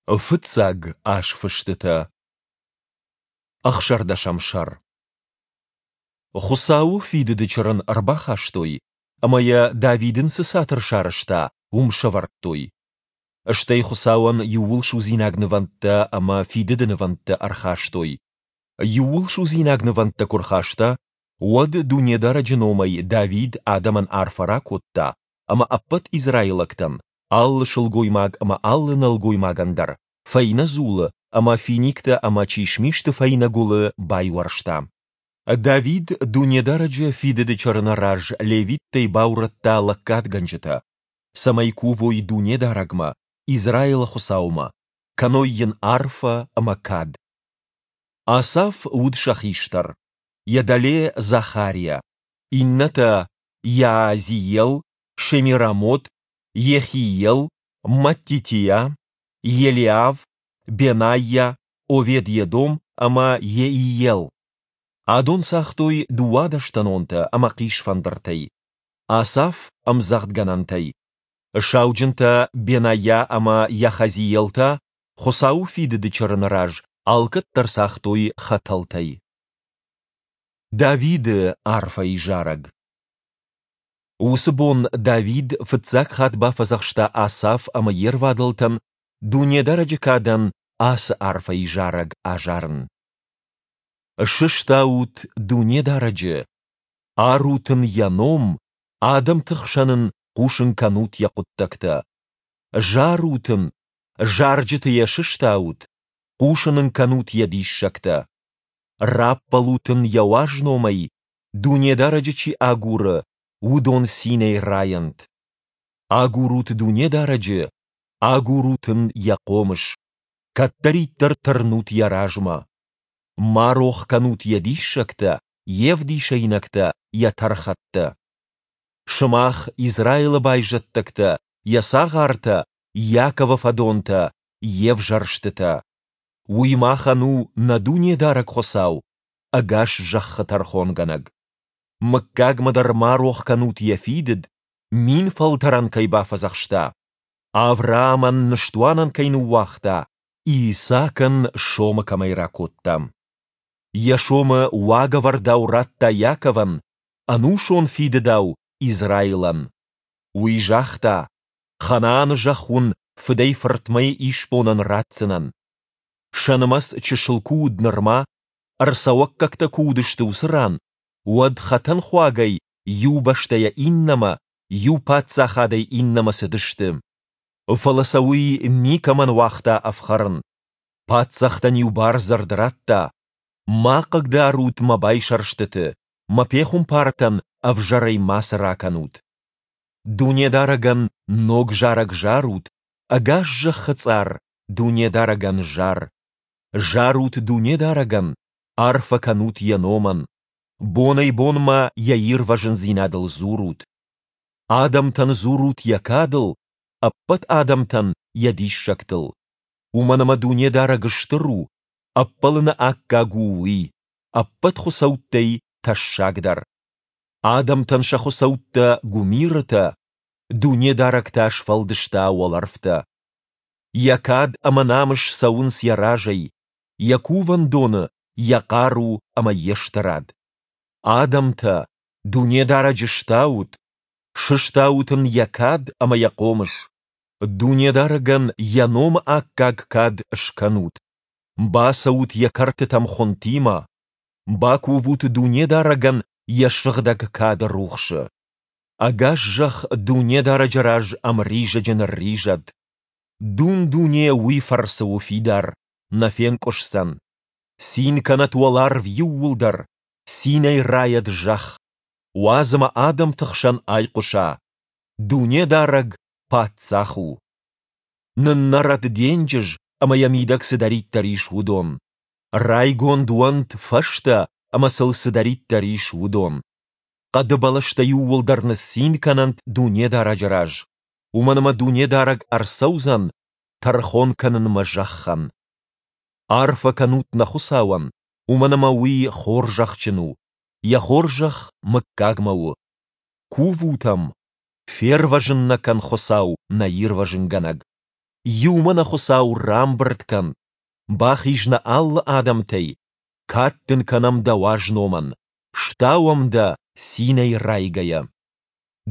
Фыццаг азфыстытӕ. Ӕхсӕрдӕсӕм сӕр. Хуыцауы фидыды чырын ӕрбахастой ӕмӕ йӕ, Давид ын цы цатыр сарӕзта, уым сӕвӕрдтой. Стӕй Хуыцауӕн иууылсудзинаг нывӕндтӕ ӕмӕ фидыды нывӕндтӕ ӕрхастой. Иууылсудзинаг нывӕндтӕ куы рхаста, уӕд Дунедарӕджы номӕй Давид адӕмӕн арфӕ ракодта ӕмӕ ӕппӕт израилӕгтӕн, алы сылгоймаг ӕмӕ алы нӕлгоймагӕн дӕр, фӕйнӕ дзулы ӕмӕ финиктӕ ӕмӕ чисмисты фӕйнӕ гуылы байуӕрста. Давид Дунедарӕджы Фидыды Чырыны раз левиттӕй баурӕдта лӕггадгӕнджытӕ, цӕмӕй кувой Дунедарӕгмӕ, Израилы Хуыцаумӕ, кӕной Йын арфӕ ӕмӕ кад. Асаф уыд сӕ хистӕр, йӕ дӕле Захариа, иннӕтӕ Иаазиел, Шемирамот, Йехиел, Маттитиа, Елиав, Бенайа, Овед-Едом ӕмӕ Йеиел. Адон цагътой дыууадӕстӕнонтӕ ӕмӕ хъисфӕндыртӕй. Асаф ӕмдзӕгъдгӕнӕнтӕй. Сауджынтӕ Бенайа ӕмӕ Йахазиел та Хуыцауы фидыды чырыны раз алкӕддӕр цагътой хӕтӕлтӕй. Давиды арфӕйы зарӕг. Уыцы бон Давид фыццаг хатт бафӕдзӕхста Асаф ӕмӕ йе рвадӕлтӕн Дунедарӕджы кадӕн ацы арфӕйы зарӕг азарын. Сыстаут Дунедарӕджы, арут Ын Йӕ ном, адӕмты хсӕн Ын хъусын кӕнут Йӕ хъуыддӕгтӕ. Зарут Ын, зарджыты Йӕ сыстаут, хъусын Ын кӕнут Йӕ диссӕгтӕ. Раппӕлут Ын Йӕ уаз номӕй, Дунедарӕджы чи агуры, уыдон цинӕй райӕнт. Агурут Дунедарӕджы, агурут Ын Йӕ хъомыс, кӕддӕриддӕр тырнут Йӕ размӕ. Ма рох кӕнут Йӕ диссӕгтӕ, Йе вдисӕйнӕгтӕ, Йӕ тӕрхӕттӕ. Сымах, Израилы байзӕддӕгтӕ, Йӕ цагъартӕ, Иаковы фӕдонтӕ, Йе взӕрстытӕ. Уый махӕн у нӕ Дунедарӕг Хуыцау, ӕгас зӕххы тӕрхонгӕнӕг. Мыггагмӕ дӕр ма рох кӕнут йӕ фидыд, фӕлтӕрӕн кӕй бафӕдзӕхста, Авраамӕн ныстуанӕн кӕй ныууагъта, Исаакӕн сомы кӕмӕй ракодта. Йӕ сомы уагӕвӕрдау радта Иаковӕн, ӕнусон фидыдау Израилӕн. Уый загъта, Ханааны зӕхх уын фыдӕй-фыртмӕ исбонӕн ратдзынӕн. Сӕ нымӕц чысыл куы уыд нырма, ӕрцӕуӕггӕгтӕ куы уыдысты уыцы ран, уӕд хӕтӕнхуагӕй иу бӕстӕйӕ иннӕмӕ, иу паддзахадӕй иннӕмӕ цыдысты. Фӕлӕ сӕ уый никӕмӕн уагъта ӕфхӕрын. Паддзӕхтӕн-иу бардзырд радта, Ма хъыгдарут мӕ байсӕрстыты, мӕ пехуымпартӕн ӕвзӕрӕй мацы ракӕнут. Дунедарӕгӕн ног зарӕг зарут, ӕгас зӕххы цъар Дунедарӕгӕн зар. Зарут Дунедарӕгӕн, арфӕ кӕнут Йӕ номӕн. Бонӕй-бонмӕ Йӕ ирвӕзындзинадыл дзурут. Адӕмтӕн дзурут Йӕ кадыл, ӕппӕт адӕмтӕн Йӕ диссӕгтыл. Уымӕн ӕмӕ Дунедарӕг стыр у, ӕппӕлыны аккаг у Уый, ӕппӕт хуыцӕуттӕй тӕссагдӕр. Адӕмтӕн сӕ хуыцӕуттӕ гуымирытӕ, Дунедарӕг та сфӕлдыста уӕлӕрвтӕ. Йӕ кад ӕмӕ намыс цӕуынц йӕ разӕй, йӕ кувӕндоны йӕ хъару ӕмӕ йе стырад. Адӕмтӕ, Дунедарӕджы стаут, сыстаут ын йӕ кад ӕмӕ йӕ хъомыс. Дунедарӕгӕн йӕ номы аккаг кад скӕнут, бацӕут йӕ кӕртытӕм хуынтимӕ, бакувут Дунедарӕгӕн йӕ сыгъдӕг кады рухсы. Ӕгас зӕхх Дунедарӕджы раз ӕмризӕджы нырризӕд. Дун-дуне уый фӕрцы у фидар, нӕ фенкъуысдзӕн. Цин кӕнӕт уӕларв иууылдӕр, цинӕй райӕд зӕхх. Уадз ӕмӕ адӕмты хсӕн айхъуыса: Дунедарӕг Паддзах у! Ныннӕрӕд денджыз ӕмӕ йӕ мидӕг цыдӕриддӕр ис, уыдон. Райгонд уӕнт фӕзтӕ ӕмӕ сыл цыдӕриддӕр ис, уыдон. Хъӕды бӕлӕстӕ иууылдӕр ныццин кӕнӕнт Дунедарӕджы раз, уымӕн ӕмӕ Дунедарӕг ӕрцӕудзӕн тӕрхон кӕнынмӕ зӕххӕн. Арфӕ кӕнут нӕ Хуыцауӕн, уымӕн ӕмӕ Уый хорзӕхджын у, Йӕ хорзӕх мыггагмӕ у. Кувут ӕм, фервӕзын нӕ кӕн Хуыцау, нӕ Ирвӕзынгӕнӕг. Иумӕ нӕ Хуыцау рамбырд кӕн, бахиз нӕ алы адӕмтӕй, кад дын кӕнӕм дӕ уаз номӕн, стауӕм дӕ цинӕй райгӕйӕ.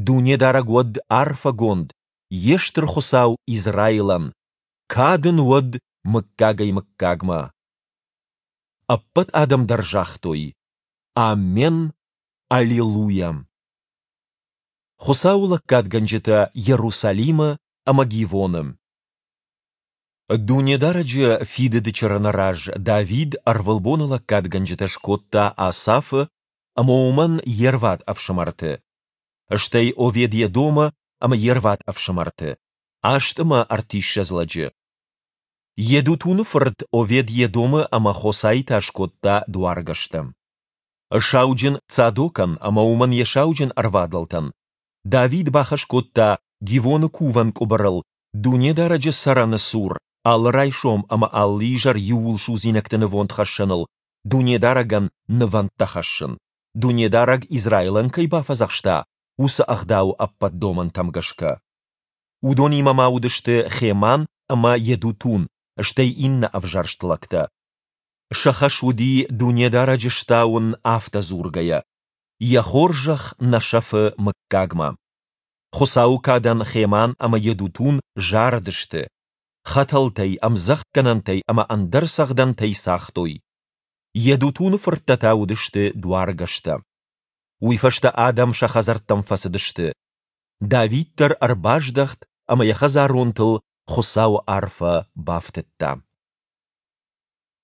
Дунедарӕг уӕд арфӕгонд, йе стыр Хуыцау Израилӕн, кад ын уӕд мыггагӕй-мыггагмӕ. Ӕппӕт адӕм дӕр загътой: Аммен, Аллилуйа! Хуыцауы лӕггадгӕнджытӕ Иерусалимы ӕмӕ Гивоны. Дунедарӕджы Фидыды Чырыны раз Давид ӕрвылбоны лӕггадгӕнджытӕ скодта Асафы ӕмӕ уымӕн йе рвад ӕфсымӕрты, стӕй Овед-Едомы ӕмӕ йе рвад ӕфсымӕрты, 38 лӕджы. Йедутуны фырт Овед-Едомы ӕмӕ Хосайы та скодта дуаргӕстӕ. Сауджын Цадокӕн ӕмӕ уымӕн йӕ сауджын ӕрвадӕлтӕн Давид бахӕс кодта Гивоны кувӕн къуыбырыл Дунедарӕджы цӕрӕны цур алы райсом ӕмӕ алы изӕр иууылсудзинӕгты нывондхӕссӕныл Дунедарӕгӕн нывӕндтӕ хӕссын, Дунедарӕг Израилӕн кӕй бафӕдзӕхста, уыцы ӕгъдауы ӕппӕт домӕнтӕм гӕсгӕ. Уыдонимӕ ма уыдысты Хеман ӕмӕ Йедутун, стӕй иннӕ ӕвзӕрст лӕгтӕ. Сӕ хӕс уыди Дунедарӕджы стауын афтӕ дзургӕйӕ: Йӕ хорзӕх нӕ сӕфы мыггагмӕ. Хуыцауы кадӕн Хеман ӕмӕ Йедутун зарыдысты, хӕтӕлтӕй, ӕмдзӕгъдгӕнӕнтӕй ӕмӕ ӕндӕр цӕгъдӕнтӕй цагътой. Йедутуны фырттӕ та уыдысты дуаргӕстӕ. Уый фӕстӕ адӕм сӕ хӕдзӕрттӕм фӕцыдысты. Давид дӕр ӕрбаздӕхт ӕмӕ йӕ хӕдзаронтыл Хуыцауы арфӕ бафтыдта.